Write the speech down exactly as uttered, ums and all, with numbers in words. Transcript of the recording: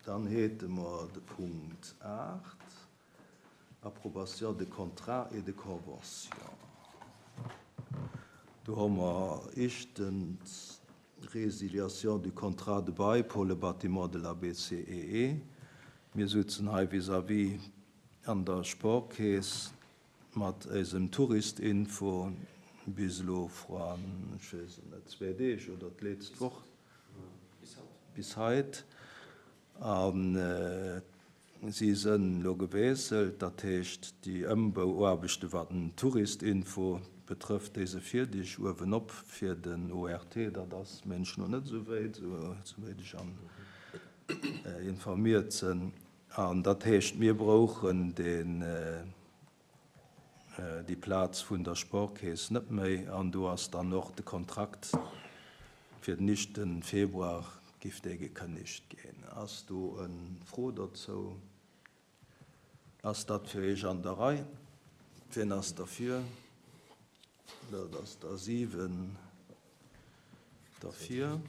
Dann hätte mer de Punkt aacht, Approbation de contrats et de conventions. Do hu mer éischtens Résiliation du contrat de bail pour le bâtiment de la B C E E. Mir sutzen hei vis-à-vis an der Sportkeess mat eisem Touristinfo bis elo vrun, ech weess et net, zwee Deeg oder d'letzt Woch bis haut. An si sënn elo gewiesselt, dat heescht, déi Ëmbauaarbechte, wat den Touristinfo betrëfft, déi si fierdeg. Uewenop fir den O R T, dat ass mengen ech net esou wäit, esouwäit ech an informiert sinn. An dat heescht, mir brauchen den déi Plaz vun der Sportkeess net méi an do ass dann och de Kontrakt fir den éischte Februar giff dee gekënnegt ginn. Ass do eng Fro dozou? Ass dat fir Iech an der Rei? Wien ass derfir? Dat ass der siwen derfir.